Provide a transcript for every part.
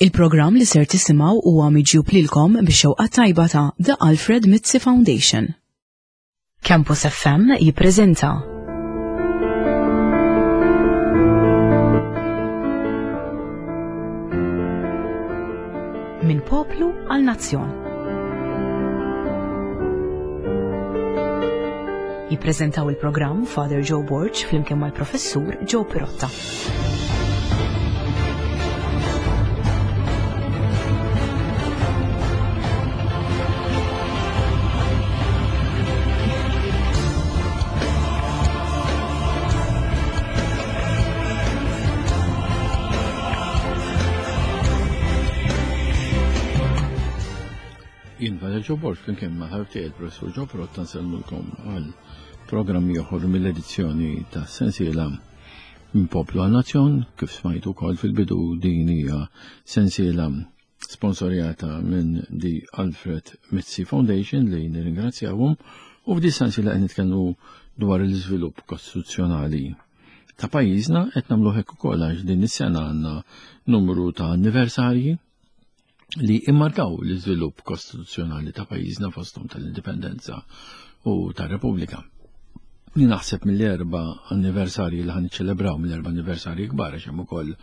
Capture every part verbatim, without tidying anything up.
Il-programm li ser tisimgħu huwa miġjub lilkom bix-xewqa tajba ta' The Alfred Mizzi Foundation. Campus F M jippreżenta Minn Poplu għal Nazzjon. Jippreżentaw il-programm Father Joe Borg flimkien mal-Professur Joe Pirotta. Jien Father Joe Borg flimkien ma' ħabib tiegħi il-Professur Joe Pirotta nsellmulkom għal programm ieħor mill-edizzjoni ta' sensiela Minn Poplu għal Nazzjon. Kif smajtu wkoll fil-bidu, din hija sensiela sponsorjata minn The Alfred Mizzi Foundation li nirringrazzjawhom, u f'di sensiela qed nitkellmu dwar l-iżvilupp kostituzzjonali ta' pajjiżna. Qed nagħmlu hekk ukoll għax din is-sena għandna numru ta' anniversarji li immarkaw l-iżvilupp kostituzzjonali ta' pajjiżna, fosthom tal-Indipendenza u tar-Repubblika. Li naħseb mill-erba anniversarji li ħan niċċelebraw, mill-erba anniversarji kbar, għax hemm ukoll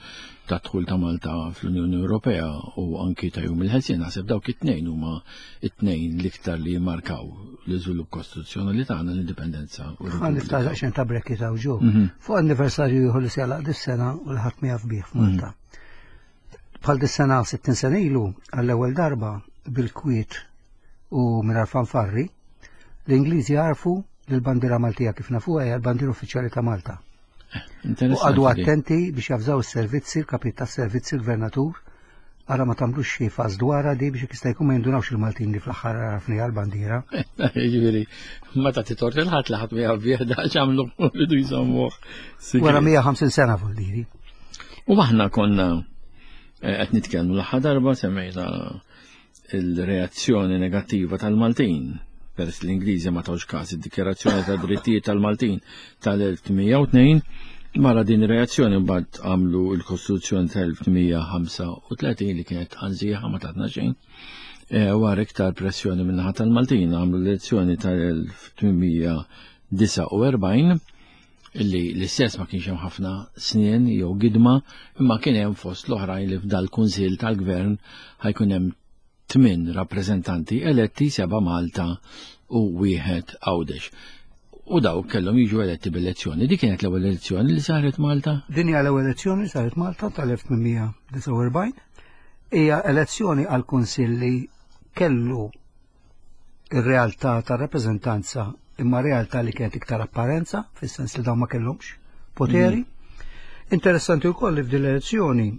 ta' dħul ta' Malta fl-Unjoni Ewropea u anki ta' Jum il-Ħelsien, naħseb dawk it-tnejn huma it-tnejn l-iktar li jimmarkaw l-iżvilupp kostituzzjonali tagħna, l-Indipendenza u Ħa niftaħ r-Repubblika. daqsxejn ta' brekki ta' ġo. Mhm. Fuq anniversarju ieħor li se jagħlaq dis-sena u li ħadd ma jaf bih f'Malta. Mhm. Bħal dis-sena sittin sena ilu, għall-ewwel darba bil-kwiet u mingħajr fanfarri, l-Ingliżi għarfu li l-bandiera Maltija kif nafuha hija l-bandiera uffiċjali ta' Malta. Eh, U qagħdu attenti biex jafżaw is-servizzi, il-kapit tas-servizzi, il-gvernatur, ara ma tagħmlux xi faż dwarha di biex jista' jkun ma jindunawx il-Maltin li fl-aħħar għarafni għall-bandiera. Jiġifieri, meta titort il-ħadd li ħadd ma jaf bih, da x'għamlu rridu jżommuh. Wara mija ħamsin sena vuldiri. U aħna konna, eh, qed nitkellmu l-aħħar darba, semmejna il-reazzjoni negattiva tal-Maltin peress l-Ingliżi ma tawx każ id-dikjarazzjoni ta' drittijiet tal-Maltin tal-elf tmija u tnejn. Mara din ir-reazzjoni mbagħad għamlu l-Kostituzzjoni tal-elf tmija ħamsa u tletin li kienet ħanżieħa ma tatna xejn. Eh, wara iktar pressjoni min-naħa tal-Maltin għamlu l-elezzjoni tal-elf tmija disa u erbgħin illi l-istess ma kienx hemm ħafna snien jew gidma, imma kien hemm fost l-oħrajn li f'dal-Kunsill tal-Gvern ħajkun hemm tmien rappreżentanti eletti, seba' Malta u wieħed Għawdex. U dawk kellhom jiġu eletti bil-elezzjoni. Dik kienet l-ewwel elezzjoni li saret Malta? Din hija l-ewwel elezzjoni li saret Malta tal-elf tmien disa u erbgħin. Hija elezzjoni għal kunsill li kellu ir-realtà tar-rappreżentanza, imma realtà li kienet iktar apparenza, fis-sens li dawn ma kellhomx poteri. Mm. Interessanti wkoll li f'din l-elezzjoni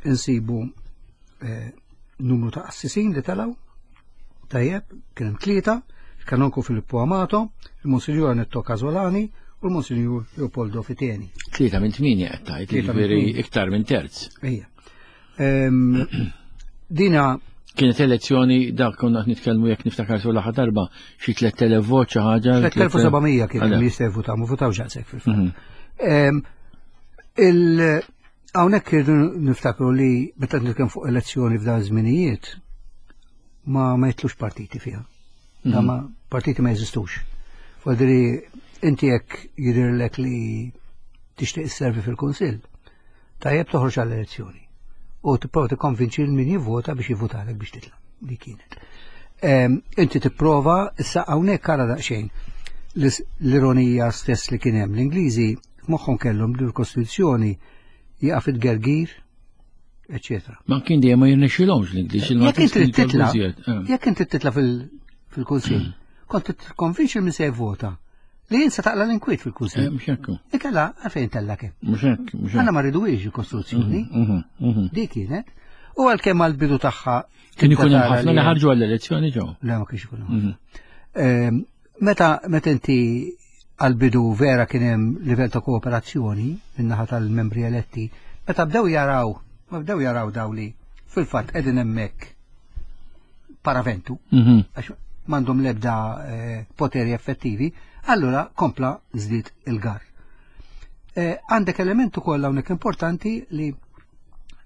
insibu, eh, numru ta' qassisin li telgħu. Tajjeb, kien hemm tlieta, il-Kanonku Filippo Amato, il-Monsinjur Annetto Casolani u l-Monsinjur Leopoldo Fiteni. Tlieta minn tmienja qed tgħid, Tlieta minn jiġifieri tmienja. iktar minn terz. Ejja. Ehm, dina kienet elezzjoni, dak konna qed nitkellmu jekk niftakar sew l-aħħar darba, xi tliet elef vot xi ħaġa. Tliet elef u seba' mija kien Għala. li jistgħu jivvutaw, ma votawx daqshekk fil-fatt. Mhm. Ehm, il-, hawnhekk irridu niftakru li meta nitkellmu fuq elezzjoni f'dan iż-żminijiet ma, ma jitlux partiti fiha. Da Mhm. ma partiti ma jeżistux. Vuol inti jekk jidhirlek li tixtieq isservi fil-Kunsill, tajjeb toħroġ għall-elezzjoni. U tipprova tikkonvinċi l min jivvota biex jivvotalek biex titla'. Dik kienet. Ehm, inti tipprova, issa hawnhekk ara daqsxejn l-ironija stess li kien hemm. L-Ingliżi f'moħħhom kellhom li l-Kostituzzjoni jaqaf it-gergir, eċċetera. Ma kien dejjem ma jirnexxilhomx l-Ingliż, Jekk il-Maltin inti kienu titla', jitolbu iżjed, eh. jekk inti titla' fil-, fil-Kunsill, kont tikkonvinċi min se jivvota li jien se taqla l-inkwiet fil-Kunsill. Eh, mhux hekk. Ikella għalfejn tella kemm. Mhux hekk, mhux hekk. Aħna ma rridux il-Kostituzzjoni. Mhm, mhm, mhm. Dik kienet. U għalkemm għall-bidu tagħha Kien ikun hemm tara ħafna li li ħarġu għall-elezzjoni ġew. Le, ma kienx ikun hemm. Mhm. Ehm, meta, meta inti għall-bidu vera kien hemm livell ta' kooperazzjoni min-naħa tal-membri eletti, meta bdew jaraw, ma bdew jaraw daw li fil-fatt qegħdin hemmhekk paraventu, Mhm. għax m'għandhom l-ebda, eh, poteri effettivi, allura kompla żdied il-gar. Eh, għandek element ukoll hawnhekk importanti li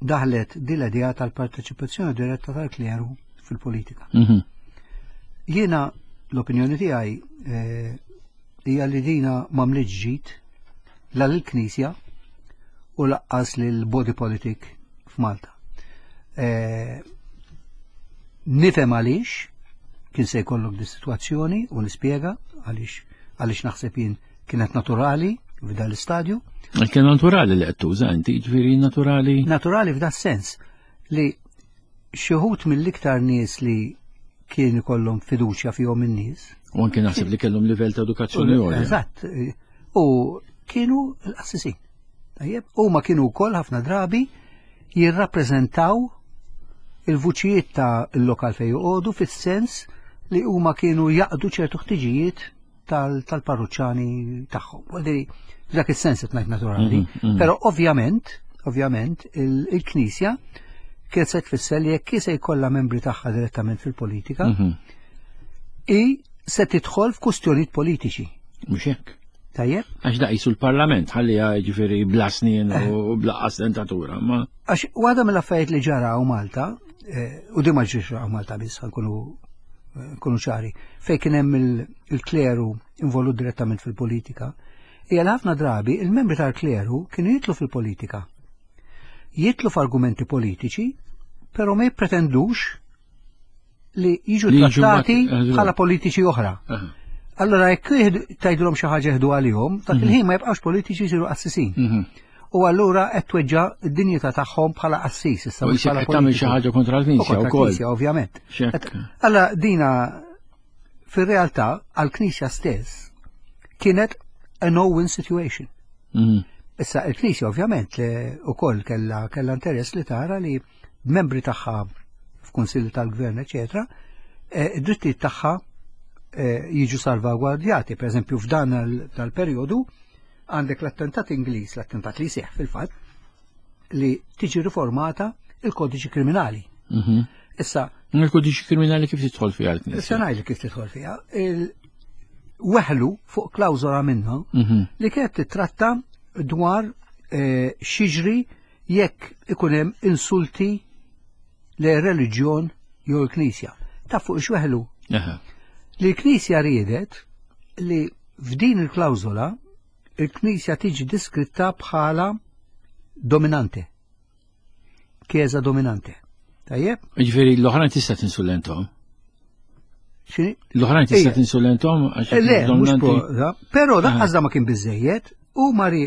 Daħlet din l-idea tal-parteċipazzjoni diretta tal-kleru fil-politika. Mhm. Jiena l-opinjoni tiegħi eh, hija li dina m'għamlitx ġid la lill-Knisja u lanqas lil body politic f'Malta. Eh, Nifhem għaliex kien se jkollok di situazzjoni u nispjega għaliex għaliex naħseb jien kienet naturali f'dan l-istadju. Kien naturali li qed tuża inti, ġifieri naturali. Naturali f'da sens li xi wħud mill-iktar nies li kien ikollhom fiduċja fihom in-nies. U anke naħseb li kellhom livell ta' edukazzjoni għolja. Eżatt. U kienu l-qassisin. Tajjeb, huma kienu wkoll ħafna drabi jirrappreżentaw il-vuċijiet ta' il-lokal fejn joqogħdu fis-sens li huma kienu jaqdu ċertu ħtiġijiet tal- tal-parruċċani tagħhom. Vuol dak is-sens qed ngħid naturali. Mhm, mhm. Però ovvjament, ovvjament il- il-Knisja kienet se tfisser li jekk se jkollha membri tagħha direttament fil-politika, Mhm. i se tidħol f'kustjonijiet politiċi. Mhux hekk. Tajjeb? Għax da qisu l-parlament, ħalli ġifieri bla snien u bla dentatura, ma Għax waħda mill-affarijiet li ġara hawn Malta, eh, u di ma ġriex hawn Malta biss, nkunu nkunu ċari, fej kien hemm il- il-kleru involut direttament fil-politika, hija li ħafna drabi il-membri tal-kleru kienu jitlu fil-politika. Jitlu f'argumenti politiċi, però ma jippretendux li jiġu Li jiġu trattati mat- eh, bħala politiċi oħra. Aha. Allora jekk jieħdu- tgħidulhom xi ħaġa jieħdu għalihom, dak il-ħin ma jibqgħux politiċi jsiru qassisin. Mhm. U allura qed tweġġa' d-dinjità tagħhom bħala qassis issa U mhux jisek bħala qed tagħmel xi politiku. ħaġa kontra U l-Knisja kontra wkoll. l-Knisja, ovvjament. Xek. Allora dina fir-realtà għall-Knisja stess kienet a no-win situation. Mhm. Issa il-Knisja ovvjament li ukoll kella kella interess li tara li membri tagħha f'kunsilli tal-gvern, eċetera, eh, id-drittijiet tagħha eh, jiġu salvagwardjati. Per eżempju, f'dan il- tal-perjodu għandek l-attentat Ingliż, l-attentat li seħ fil-fatt, li tiġi riformata il-kodiċi kriminali. Mhm. Issa, Il-kodiċi kriminali kif tidħol fiha issa l-Knisja? ngħidlek kif tidħol fiha, il- weħlu fuq klawżola minnha Mhm. li kienet titratta dwar eh, x'jiġri jekk ikun hemm insulti le reliġjon jew l-Knisja. Ta' fuq x'weħlu Aha. li l-Knisja riedet li f'din il-klawżola il-Knisja tiġi diskritta bħala dominante. Chiesa dominante. Tajjeb? Ġifieri l-oħrajn tista' tinsulenthom. X'inhi? L-oħrajn tista' Ija. tinsulenthom għax Eh, Le, mhux dominanti. pro, però Aha. daqqas da ma kien biżejjed, u mari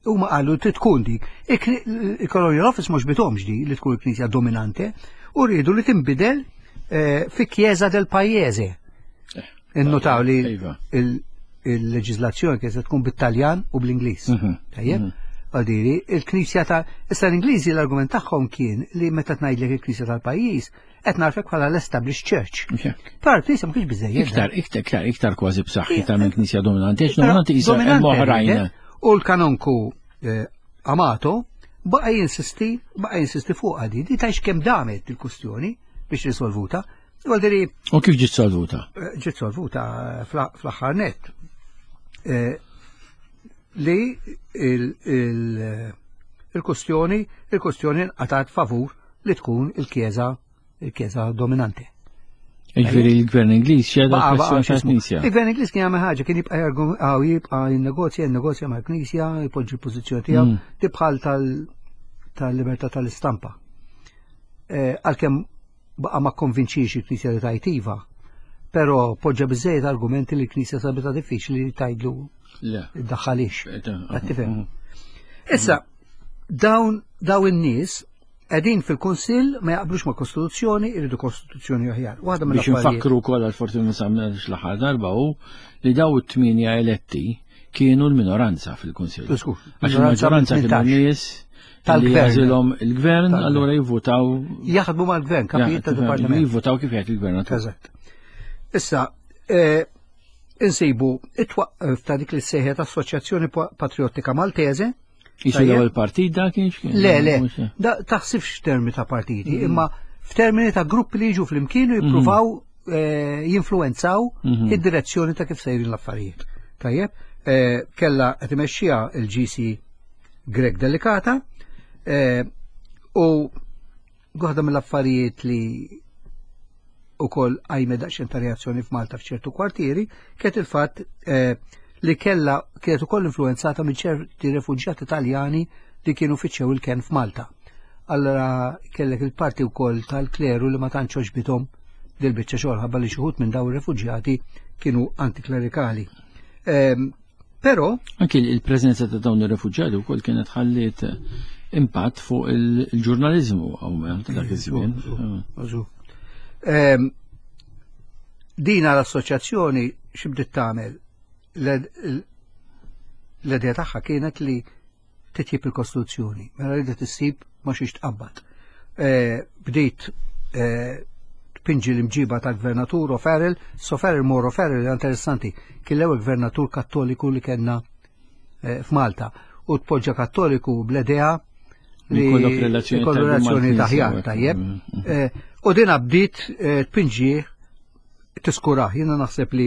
u ma qalu trid tkun dik. Il-Colonial Office mhux bitomx di li tkun il-Knisja dominante u rridu li tinbidel eh, fi Chiesa del Paese. Innotaw li Iva. il- il-leġiżlazzjoni kienet se tkun bit-Taljan u bl-Ingliż. Mhm, Tajjeb? mhm. Għadiri, il-Knisja ta' issa l-Ingliżi l-argument tagħhom kien li meta tgħidlek il-Knisja tal-pajjiż qed narfek bħala l-established church. Mhux hekk. Però l-Knisja ma kienx biżejjed. Iktar, iktar, iktar, iktar kważi b'saħħitha minn Knisja dominanti, għax Però dominanti qisha hemm dominante oħrajn. rridet, U l-kanonku eh, Amato baqa jinsisti, baqa jinsisti fuq għadi, di tajx kemm damet il-kustjoni biex risolvuta. Għaldiri, U kif ġiet solvuta? ġiet solvuta fl- fl-aħħar net. Eh, Li il- il- il-kustjoni, il-kustjoni nqatat favur li tkun il-Chiesa, il-Chiesa dominante. Ġifieri l-gvern Ingliż xeda Baqa' baqa' pressjoni x'ismu. tal-Knisja. Il-gvern Ingliż kien jagħmel ħaġa, kien jibqa' jargum- għaw jibqa' jinnegozja, jinnegozja mal-Knisja, jpoġġi l-pożizzjoni tiegħu, Mm. tibħal tal- tal-libertà tal-istampa. Eh, Għalkemm baqa' ma konvinċix il-Knisja li tajt iva, però poġġa biżejjed argumenti li l-Knisja sabitha diffiċli li tgħidlu Le. iddaħħalix. Eh, Qed tifhem? Issa, dawn daw in-nies qegħdin fil-Kunsill ma jaqblux ma' Kostituzzjoni, iridu Kostituzzjoni aħjar. Waħda Biex mill-affarijiet. nfakru wkoll għal forsi ma samnax l-aħħar darba hu li daw it-tminja eletti kienu l-minoranza fil-Kunsill. Żgur, Għax il-maġġoranza kienu tmintax. nies li Tal-gvern. jażilhom il-gvern, Tal-gvern. allura jivvutaw Jaħdmu mal-gvern, kapijiet ta' dipartiment. Jivvutaw kif jgħid il-gvernatur. Eżatt. Issa, eh, insibu it-twaqqif ta' dik li sejħet Assoċjazzjoni Pa- Patriottika Maltese. Jisu Tajjeb. l-ewwel partit da kien x'kien? Le, le, Mhux hekk. da taħsibx f'termini ta' partiti, imma f'termini ta' gruppi li jiġu flimkien u jippruvaw eh, jinfluenzaw Mhm. id-direzzjoni ta' kif sejrin l-affarijiet. Tajjeb, eh, kella qed imexxiha il-G C Grech Delicata, eh, U waħda mill-affarijiet li ukoll qajmet daqsxejn ta' reazzjoni f'Malta f'ċertu kwartieri kienet il-fatt eh, li kella kienet ukoll influenzata minn ċerti refuġjati Taljani li kienu fittxew il-ken f'Malta. Allora kellek il-parti wkoll tal-kleru li ma tantx għoġbithom dil-biċċa xogħol ħabba li xi wħud minn dawn ir-refuġjati kienu antiklerikali. Ehm, Però Anki il-preżenza ta' dawn ir-refuġjati wkoll kienet ħalliet impatt fuq il-ġurnaliżmu hawn ta' dak iż-żmien. Ehm, Dina l-assoċjazzjoni x'bdiet tagħmel? L-idea tagħha kienet li titjib il-Kostituzzjoni, mela ridet issib ma xiex tqabbad. Eh, Bdiet eh, tpinġi l-imġiba tal-gvernatur O'Farrell, O'Farrell Mor O'Farrell interessanti, kien l-ewwel gvernatur kattoliku li kellna eh, f'Malta u tpoġġa kattoliku bl-idea li Jkollok relazzjoni jkollu tajba relazzjoni mal-Knisja, taħjar, hekk. tajjeb. Mm, mm. Eh, U dina bdiet eh, tpinġi tiskurah. Jiena naħseb li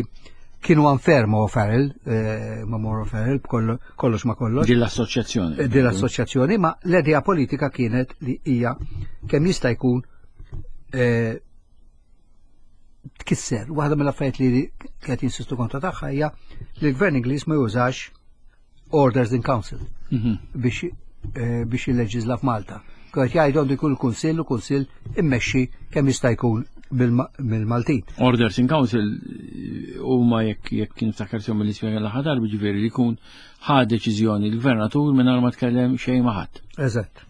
kienu unfair ma' O'Farrell, eh, ma' Mor O'Farrell, b'kollo- kollox ma' kollox. Din l-assoċjazzjoni. Eh, Din l-assoċjazzjoni, ma l-idea politika kienet li hija kemm jista' jkun eh, tkisser. Waħda mill-affarijiet li kienet jinsistu kontra tagħha hija li l-Gvern Ingliż ma jużax orders in council Mhm. biex eh, biex jilleġiżla f'Malta. Kienet jgħidu għandu jkun il-Kunsill u Kunsill immexxi kemm jista' jkun bil- mill-Maltin. Orders in Council eh, huma jekk jekk kien niftakar sew mill-ispjega l-aħħar darba ġifieri li jkun ħa deċiżjoni l-gvernatur mingħajr ma tkellem xejn ma' ħadd. Eżatt.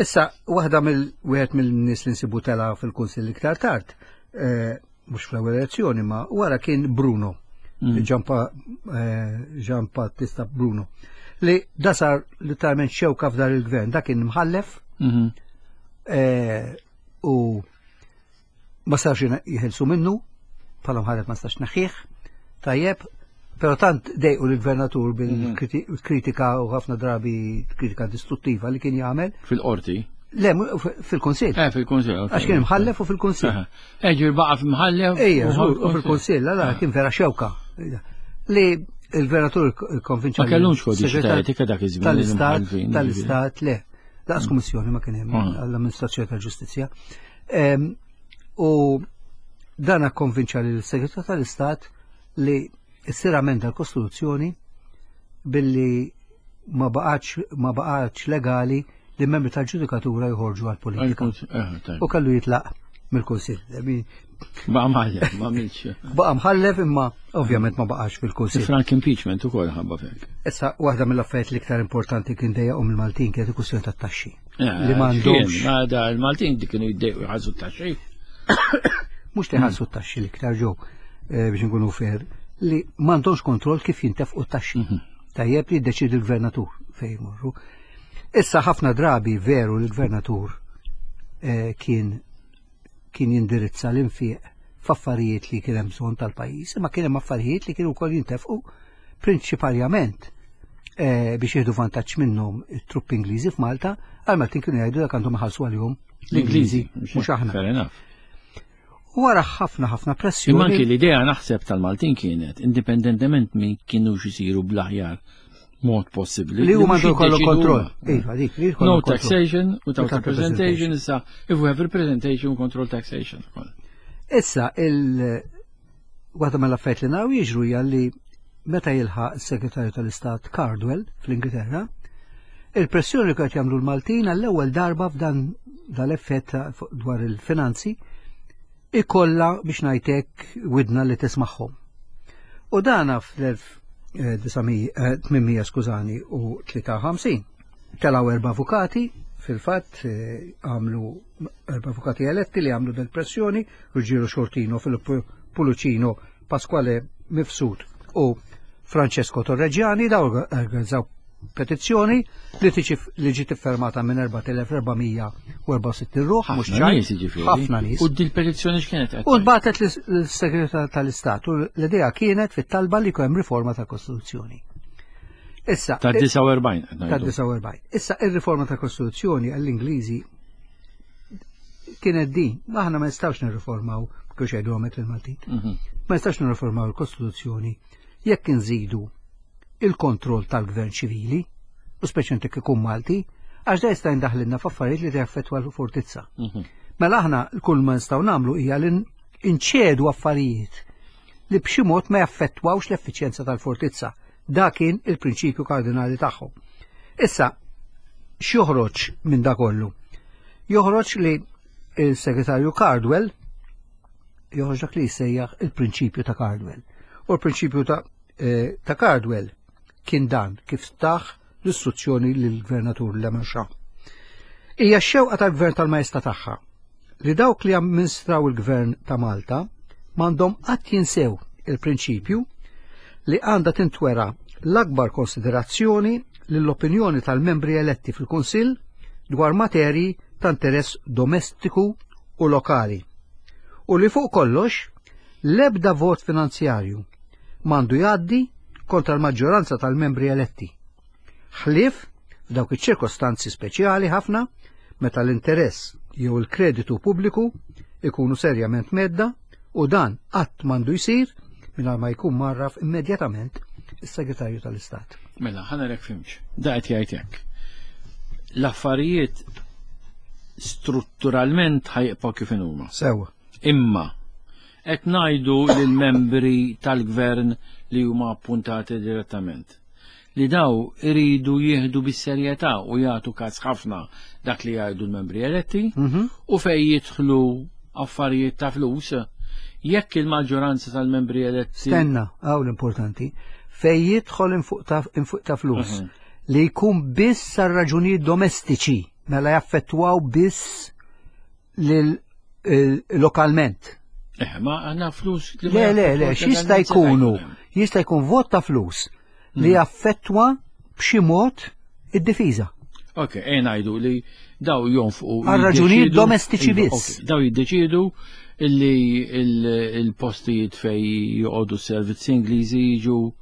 Issa, waħda mill wieħed mill-nies li nsibu tela fil-Kunsill iktar tard, eh, mhux fl-ewwel elezzjoni, ma wara kien Bruno, Mm. Giampa- eh, Gian Battista Bruno, li da sar literalment xewka f'dar il-gvern, da kien mħallef Mhm. eh, u ma sarx jħelsu minnu, bħala mħallef ma stax naħħieħ, tajjeb, pero tant dejqu l-gvernatur bil-kritika u ħafna drabi kritika distruttiva li kien jagħmel. Fil-qorti. Le, mu- f- fil-Kunsill. Eh, fil-Kunsill. ok. Għax kien imħallef u fil-Kunsill. Aha. Eh, ġifieri baqa' f'imħallef. Ejja, u żgur, u fil-Kunsill, allora kien vera xewka. Li il-gvernatur konvinċa. Ma kellhomx kodiċi ta' etika dak iż-żmien Tal-Istat, l-imħallfin, tal-Istat, le. Laqas kummissjoni ma kien hemm Ah. għall-Amministrazzjoni tal-Ġustizzja. Em, U dana konvinċa l-Segretarju tal-Istat li ssir amenda l-Kostituzzjoni billi ma baqax ma baqax legali li membri tal-ġudikatura joħorġu għal-politika. Eh, tajjeb. U kellu jitlaq mill-Kunsill. I Baqa' mħallef, ma għamilx. Baqa' mħallef imma ovvjament ma baqax fil-Kunsill. Frank impeachment ukoll ħabba fek. Issa, waħda mill-affarijiet l-iktar importanti kien dejjaqhom il-Maltin kienet il-kwistjoni tat-taxxi. Eh, Li m'għandhomx Ma da il-Maltin dik kienu jiddejqu jħallsu t-taxxi. mhux teħallsu t-taxxi l-iktar ġew eh, biex nkunu fair, li m'għandhomx kontroll kif jintefqu t-taxxi. Tajjeb li jiddeċidi l-gvernatur fejn jmorru. Issa ħafna drabi veru l-gvernatur eh, kien kien jindirizza l-infiq f'affarijiet li kien hemm bżonn tal-pajjiż, imma kien hemm affarijiet li kienu wkoll jintefqu prinċipalment eh, biex jieħdu vantaġġ minnhom it-truppi Ingliżi f'Malta, għal Maltin kienu jgħidu dak għandhom iħallsu għalihom l-Ingliżi, mhux aħna. Fair enough. U wara ħafna ħafna Imma anki pressjoni. l-idea naħseb tal-Maltin kienet, indipendentement minn kienu xisiru bl-aħjar mod possibbli. Li huma mhux għandu jkollu jiddeċidu kontroll. huma. Iva, dik, li jkollu No kontroll. taxation without Without representation, issa if we have representation, we control taxation. Issa, il waħda mill-affarijiet li naraw jiġru hija li meta jilħaq is-Segretarju tal-Istat Cardwell fl-Ingilterra, il-pressjoni li qed jagħmlu l-Maltin għall-ewwel darba f'dan dal-effett ta' fuq- dwar il-finanzi ikolla biex ngħidlek widna li tismagħhom. U dana fl-elf tmienmija skużani u tlieta u ħamsin telaw erba' avukati fil-fatt eh, għamlu erba' avukati eletti li għamlu del pressjoni Ruggiero Sciortino, Filippo Pullicino, Pasquale Mifsud u Francesco Torreggiani daw organizzaw petizzjoni li tiġi li ġiet iffirmata minn erbat elef erba' mija u erbgħa u sittin ruħ, mhux Ħafna ċajt, nies jiġifieri. ħafna nies. U dil petizzjoni x'kienet qed U nbatet l-Segretarju tal-Istat u l-idea kienet fit-talba li hemm riforma tal-Kostituzzjoni. Issa, Ta' disgħa u erbgħin. Qed ta' ngħidu. disgħa u erbgħin. Issa ir-riforma tal-Kostituzzjoni għall-Ingliżi kienet din, ma aħna ma nistgħux nirriformaw kif jgħidu għamek il-Maltin. Mhm. Ma nistgħux nirriformaw il-Kostituzzjoni jekk inżidu il-kontroll tal-gvern ċivili, u speċjalment jekk ikun Malti, Għax da jista' jindaħlilna f'affarijiet li jaffettwa l-fortizza. Mhm. Mela aħna kull ma nistgħu nagħmlu hija li nċedu affarijiet li b'xi mod ma jaffettwawx l-effiċjenza tal-fortizza. Da kien il-prinċipju kardinali tagħhom. Issa, x'joħroġ minn da kollu? Joħroġ li il-segretarju Cardwell joħroġ dak li jsejjaħ il-prinċipju ta' Cardwell. U l-prinċipju ta', eh, ta' Cardwell kien dan kif taħ l-istruzzjoni lill-gvernatur Lemarchand. Hija x-xewqa tal-gvern tal-majesta tagħha li dawk li amministraw il-gvern ta' Malta m'għandhom qatt jinsew il-prinċipju li għandha tintwera l-akbar konsiderazzjoni lill-opinjoni tal-membri eletti fil-Kunsill dwar materji ta' interess domestiku u lokali. U li fuq kollox l-ebda vot finanzjarju m'għandu jgħaddi kontra l-maġġoranza tal-membri eletti. Ħlief f'dawk iċ-ċirkostanzi speċjali ħafna meta l-interess jew il-kreditu pubbliku ikunu serjament mhedda u dan qatt m'għandu jsir mingħajr ma jkun mgħarraf immedjatament is-Segretarju tal-Istat. Mela, ħa nara jekk fhimtx. Da qed jgħid hekk. L-affarijiet strutturalment ħa jibqgħu kif huma. Sewa. Imma qed ngħidu lill-membri tal-gvern li huma appuntati direttament li daw iridu jieħdu bis-serjetà u jagħtu każ ħafna dak li jgħidu l-membri eletti Mhm. u fej jidħlu affarijiet ta' flus jekk il-maġġoranza tal-membri eletti Stenna, hawn l-importanti, fej jidħol infuq ta' infuq ta' flus Mhm. li jkun biss għal raġunijiet domestiċi, mela jaffettwaw biss lil il- lokalment. Eh, ma għandna flus li ma Le, le, le, jaffettwawx x'jista' legalment jkunu? seta' jkun hemm. Jista' jkun vot ta' flus li jaffettwa b'xi mod id-difiża. Ok, e ngħidu li daw jonfqu. Għal raġunijiet jiddeċidu- domestiċi Iva, biss. ok, Daw jiddeċidu illi il- il-postijiet fej joqogħdu s-servizzi Ingliżi jiġu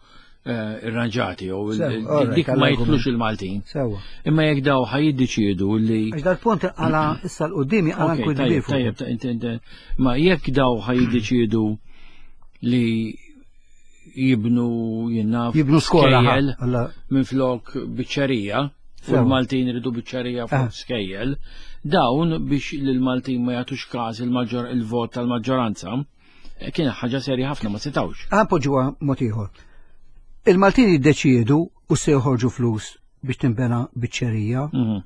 eh, irranġati jew il- Sew, il- alright, dik ma għall-argument. jitlux il-Maltin. Sewa. Imma jekk daw ħa jiddeċidu li Għax dal-punt għala issa 'l quddiem għala Ok, nkun tajjeb, kbir fuq. tajjeb, ta- inti- inti- Ma jekk daw ħa jiddeċidu li jibnu jien naf Jibnu skola. ħa, skejjel alla- minn flok biċċerija, u Sewa. l-Maltin iridu biċċerija Ah. fuq skejjel, dawn biex l-Maltin ma jagħtux każ il-maġġor il-vot tal-maġġoranza, eh, kien ħaġa serja ħafna ma setawx. Ħa npoġġuha mod ieħor. Il-Maltin jiddeċiedu u se joħorġu flus biex tinbena biċċerija Mhm.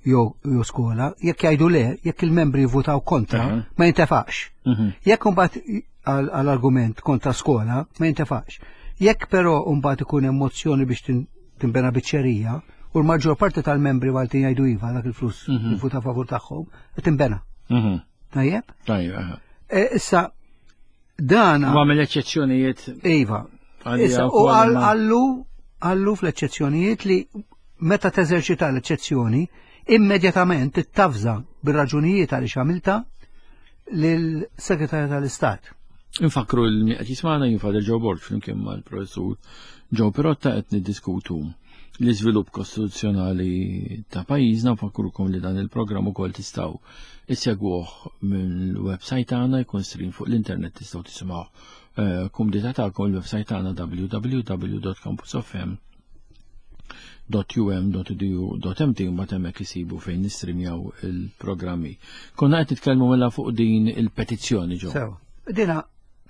jew jew skola, jekk jgħidu le, jekk il-membri jivvutaw kontra, Mhm. ma jintefax. Mhm. Jekk imbagħad għall-argument kontra skola, ma jintefax. Jekk però mbagħad ikun hemm mozzjoni biex tin- tinbena biċċerija, u l-maġġor parti tal-membri Maltin jgħidu iva dak il-flus Mhm. jivvuta favur tagħhom, tinbena. Mhm. Tajjeb? Tajjeb, aha. E, Issa dan U għamel eċċezzjonijiet Iva. għalija Issa, u wkoll għal- ma- għallu għallu fl-eċċezzjonijiet li meta teżerċita l-eċċezzjoni, immedjatament tittavża bir-raġunijiet għaliex għamilta lill-Segretarju tal-Istat. Infakru l qed jismagħna jien Father Joe Borg flimkien mal-professur Joe Pirotta qed niddiskutu l-iżvilupp kostituzzjonali ta' pajjiżna. Nfakrukom li dan il-programm ukoll tistgħu issegwuh mill-website tagħna, jkun stream fuq l-internet, tistgħu tisimgħu eh, kumdità tagħkom il-website tagħna w w w punt campusfm punt u m punt e d u punt m t u mbagħad hemmhekk isibu fejn nistrimjaw il-programmi. Konna qed nitkellmu mela fuq din il-petizzjoni ġo. Sewa. Dina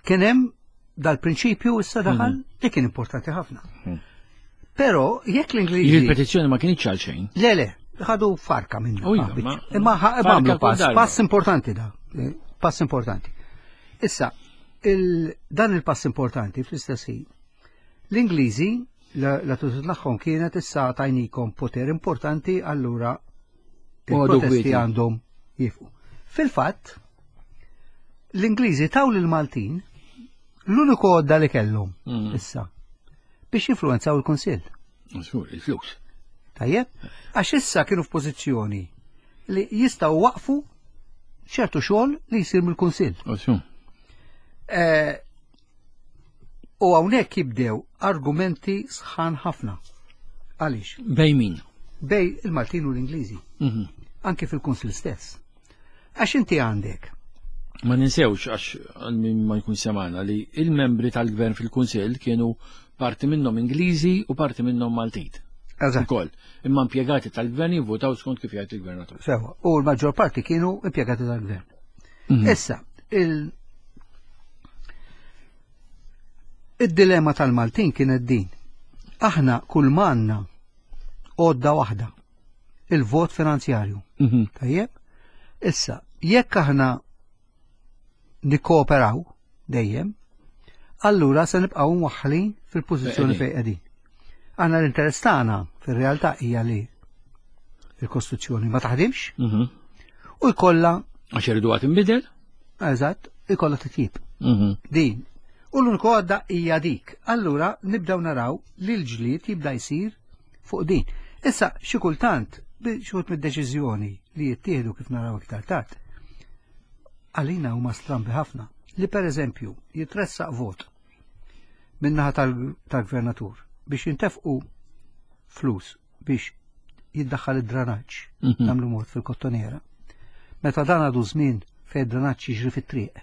kien hemm dal-prinċipju issa daħal li kien importanti ħafna. Mhm. Però jekk l-Ingliżi Il-petizzjoni ma kienx għal xejn. Le, le, ħadu farka minnu. U iva, Ah, ma- Imma ħa- farka għamlu kull pass, darba. pass importanti da, eh, pass importanti. Issa, il, dan il-pass importanti fl-istess ħin. L-Ingliżi, l-attitudni tagħhom kienet issa tajnikom poter importanti, allura Għadu il-protesti kwieti. għandhom jieqfu. Fil-fatt, l-Ingliżi taw lil-Maltin l-uniku għodda li kellhom Mm. issa biex jinfluenzaw il-Kunsill. Żgur, il-flus. Tajjeb? Għax issa kienu f'pożizzjoni li jistgħu waqfu ċertu xogħol li jsir mill-Kunsill. Osu. Eh, U hawnhekk jibdew argumenti sħan ħafna. Għaliex? Bejn min? Bejn il-Maltin u l-Ingliżi, Mhm. anke fil-Kunsill stess. Għax inti għandek Ma ninsewx, għax għal min ma jkun semana, li il-membri tal-gvern fil-Kunsill kienu parti minnhom Ingliżi u parti minnhom Maltin. Eżatt. Ukoll. Imma impjegati tal-gvern jivvotaw skont kif jgħid il-gvernatur. Sewa, u l-maġġor parti kienu impjegati tal-gvern. Mhm. Issa, il- id-dilemma tal-Maltin kienet din. Aħna kull manna għodda waħda, il-vot finanzjarju. Mhm. Tajjeb? Issa, jekk aħna nikkooperaw dejjem, allura se nibqgħu mwaħħlin fil-pożizzjoni Fejn fejn qegħdin. Aħna l-interess tagħna fir-realtà hija li il-Kostituzzjoni ma taħdimx Mhm. u jkollha Għax irridu għad inbidel? eżatt, ikollha titjib. Mhm. Din. U l-uniku għodda hija dik. Allura nibdew naraw li l-ġlied jibda jsir fuq din. Issa xi kultant bi- xi wħud mid-deċiżjoni li jittieħdu kif naraw iktar tard. Għalina huma strambi ħafna li pereżempju jitressaq vot min-naħa tal- tal-gvernatur biex jintefqu flus biex jiddaħħal id-dranaġġ Mhm. nagħmlu mod fil-kottoniera. Meta dan għadu żmien fejn id-dranaġġ jiġri fit-triq.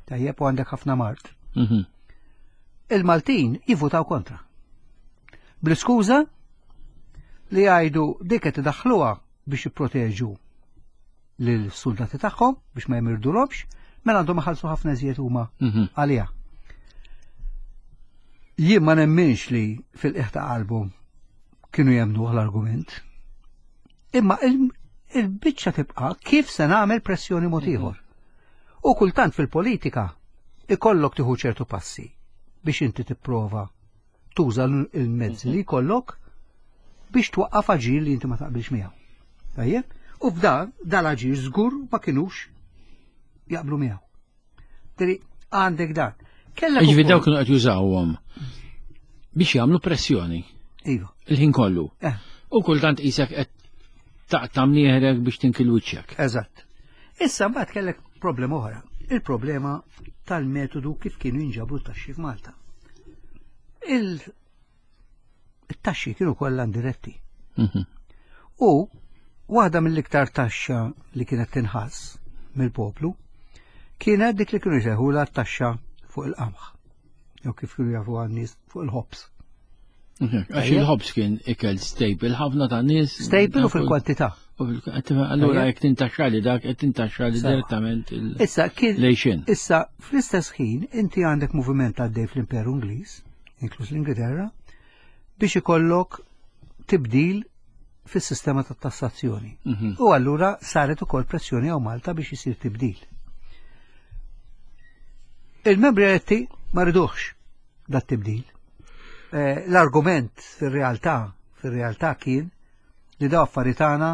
Tajjeb u għandek ħafna mart. Mhm. Il-Maltin jivvutaw kontra. Bl-iskuża li jgħidu dik qed idaħħluha biex jipproteġu lill-soldati tagħhom biex ma jmirdulhomx, mela għandhom iħallsu ħafna iżjed huma Mhm. għaliha. Jien ma nemminx li fil-qiegħ ta' qalbhom kienu jemnuh l-argument. Imma il- il-biċċa tibqa' kif se nagħmel pressjoni mod ieħor. U kultant fil-politika ikollok tieħu ċertu passi biex inti tipprova tuża l- il-mezzi li jkollok biex twaqqaf aġir li inti ma taqbilx miegħu. Tajjeb? U f'dan dal-aġir żgur ma kinux jaqblu miegħu. Tiri għandek dan. Kellek Ġifieri ukoll- dawk kienu qed jużawhom biex jagħmlu pressjoni Iva. il-ħin kollu. Eh, U kultant qisek qed taqta' mnieħrek biex tinkil wiċċek. eżatt. Issa mbagħad kellek problema oħra. Il-problema tal-metodu kif kienu jinġabru t-taxxi f'Malta. Il-taxxi kienu kollha indiretti. Mhm. U waħda mill-iktar taxxa li kienet tinħass mill-poplu kienet dik li kienu jsejħulha t-taxxa fuq il-qamħ. Jew kif kienu jafu għan-nies fuq il-ħobż. Mhm. Għax il-ħobż kien ikel staple ħafna ta' nies. Staple u fil-kwantità. U fil-kwantità. Allura Tajjeb. jekk tintaxxa li dak qed tintaxxa li Sewa. direttament il- Issa kien lejxin. Issa, fl-istess ħin, inti għandek moviment għaddej fl-Imperu Ingliż, inkluż l-Ingilterra, biex ikollok tibdil fis-sistema ta' tassazzjoni. Mhm. U allura saret ukoll pressjoni għaw Malta biex isir tibdil. Il-membri eletti ma riduħx dat tibdil. Eh, L-argument fir-realtà, fir-realtà kien li daw affarijiet tagħna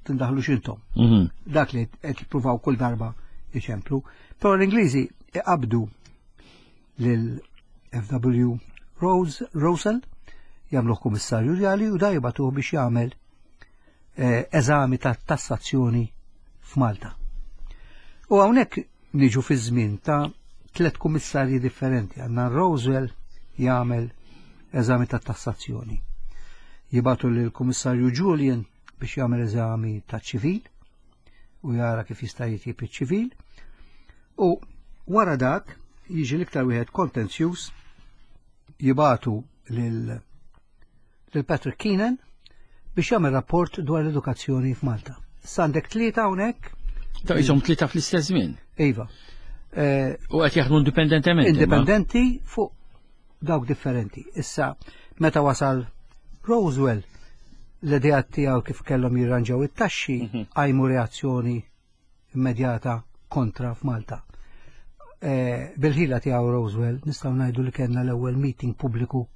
tindaħlux intom Mhm. dak li qed jippruvaw kull darba iċemplu. Però l-Ingliżi iqabdu lil F W Rose Rosell jagħmluh kummissarju rjali u da jibatuh biex jagħmel eh, eżami ta' tassazzjoni f'Malta. U hawnhekk niġu fi żmien ta' tliet kummissarji differenti. Għandna Roswell jagħmel eżami ta' tassazzjoni. Jibatu lil kummissarju Julian biex jagħmel eżami ta' ċivil u jara kif jista' jitjib iċ-ċivil. U wara dak jiġi l-iktar wieħed kontenzjuż jibatu lil lil Patrick Keenan biex jagħmel rapport dwar l-edukazzjoni f'Malta. Issa għandek tlieta hawnhekk, Ta' jisom tlieta fl-istess żmien. iva. Eh, U qed jaħdmu indipendentement. imma. indipendenti fuq dawk differenti. Issa, meta wasal Roswell, l-idea tiegħu kif kellhom jirranġaw it-taxxi qajmu reazzjoni immedjata kontra f'Malta. Eh, Bil-ħila tiegħu Roswell nistgħu ngħidu li kellna l-ewwel meeting pubbliku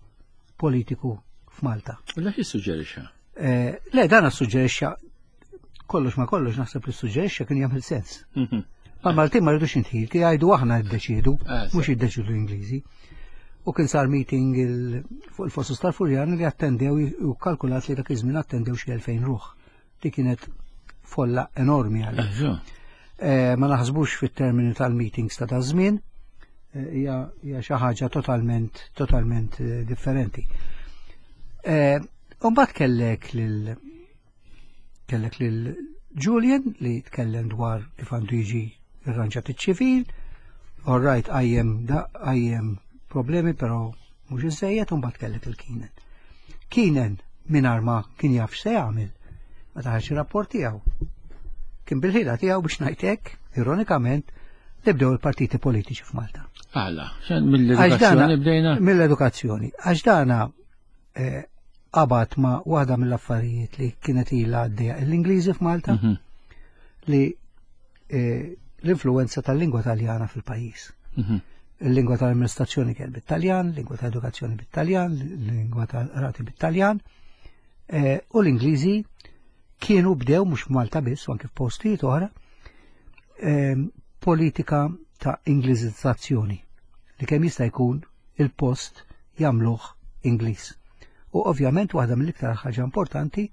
politiku f'Malta. U dak jissuġġerixxa. Eh, Le, dan suġġerixxa kollox ma kollox naħseb li suġġerixxa kien jagħmel sens. Mhm. Ma Maltin ma rridux intħil, kien jgħidu aħna ddeċiedu, Eh, mhux jiddeċiedu l-Ingliżi. U kien sar meeting il- fuq il-Fossus tal-Furjan li attendew u kalkulat li dak iż-żmien attendew xi elfejn ruħ. Li kienet folla enormi għalih. Eh, so. Eh, Ma naħsbux fit-termini tal-meetings ta' ta' żmien, eh, hija hija xi ħaġa totalment totalment eh, differenti. Eh, U mbagħad kellek lil kellek lil Julian li tkellem dwar kif għandu jiġi irranġat iċ-ċivil, all right għajjem da għajjem problemi però mhux iżejjed u mbagħad kellek il-Keenan. Keenan mingħajr ma kien jaf x'se jagħmel, ma ħareġ ir-rapport tiegħu. Kien bil-ħila tiegħu biex ngħid hekk, ironikament, li bdew il-partiti politiċi f'Malta. Għala, mill-edukazzjoni bdejna? Mill-edukazzjoni. Għax dana eh, qabad ma waħda mill-affarijiet li kienet ilha għaddejja l-Ingliżi f'Malta Mhm, li eh, l-influenza tal-lingwa Taljana fil-pajjiż. mhm. Il-lingwa tal-amministrazzjoni kien bit-Taljan, lingwa tal-edukazzjoni bit-Taljan, lingwa tal-rati bit-Taljan, eh, u l-Ingliżi kienu bdew mhux f'Malta biss, u anke f'postijiet oħra, eh, politika ta' Ingliżizzazzjoni li kemm jista' jkun il-post jagħmluh Ingliż. U ovvjament waħda mill-iktar ħaġa importanti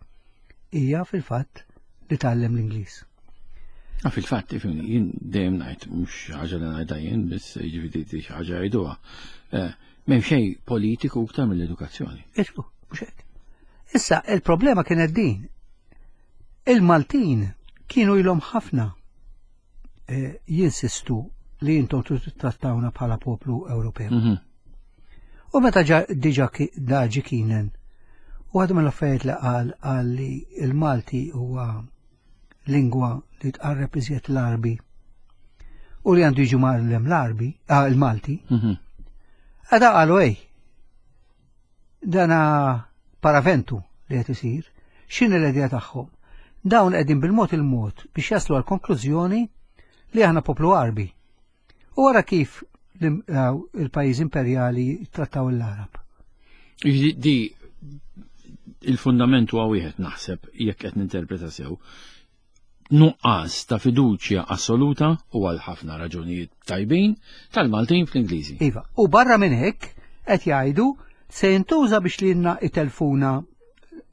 hija fil-fatt li tgħallem l-Ingliż. Ah, fil-fatt, ifhimni, jien dejjem ngħid, mhux ħaġa li ngħidha jien, biss jiġifieri di xi ħaġa jgħiduha. Eh, M'hemm xejn politiku iktar mill-edukazzjoni. Iġbu, mhux hekk. Issa, il-problema kienet din. Il-Maltin kienu ilhom ħafna eh, jinsistu li intom trattawna bħala poplu Ewropew. Mhm. U meta ġa diġa ki- daġi Keenan, u għadu mill-affarijiet li qal qal li il-Malti huwa lingwa li tqarreb iżjed l-Arbi u li għandu jiġu mgħallem l-Arbi, ah, il-Malti, Mhm. għada qalu ej, dana paraventu li qed isir, x'inhi l-idea tagħhom? Dawn qegħdin bil-mod il-mod biex jaslu għal konklużjoni li aħna poplu Arbi. U wara kif l- eh, il-pajjiż imperjali trattaw l-Arab. Jiġifieri Di il-fundament huwa wieħed naħseb jekk qed ninterpreta sew. Nuqqas ta' fiduċja assoluta u għal ħafna raġunijiet tajbin tal-Maltin fl-Ingliżi. Iva, u barra minn hekk qed jgħidu se jintuża biex lilna itelfuna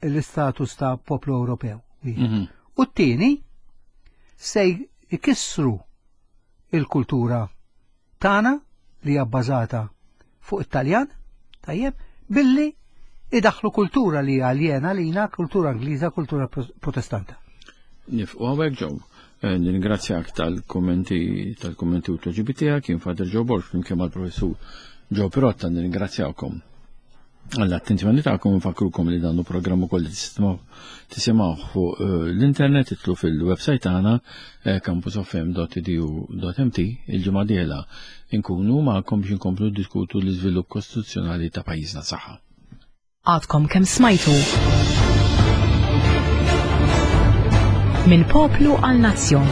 l-istatus ta' poplu Ewropew. Wieħed. Mhm. U t-tieni se jkissru il-kultura tagħna li hija bbażata fuq it-Taljan, tajjeb, billi idaħlu kultura li hija aljena lina, kultura Ingliża, kultura pro- protestanta. Nieqfu hawnhekk Joe. Eh, Nirringrazzjak tal-kommenti tal-kommenti u t-tweġibiet tiegħek, kien Father Joe Borg flimkien mal-professur Joe Pirotta nirringrazzjawkom għall-attenzjoni tagħkom nfakkrukom li dan programm ukoll li tisimgħu tisimgħu fuq eh, l-internet itilgħu fil-website tagħna eh, campusfm.edu.mt il-ġimgħa dieħla inkunu magħkom biex inkomplu diskutu l-iżvilupp kostituzzjonali ta' pajjiżna saħħa. Għadkom kemm smajtu. Minn poplu għal nazzjon.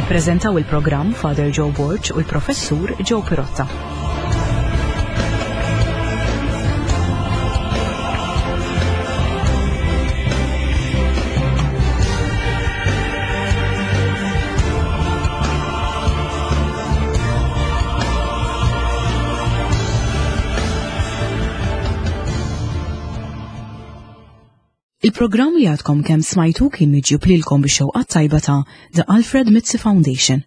Ippreżentaw il-programm Father Joe Borg u l-professur Joe Pirotta. Il-programm li għadkom kemm smajtu kien miġjub lilkom bix-xewqa tajba ta' The Alfred Mizzi Foundation.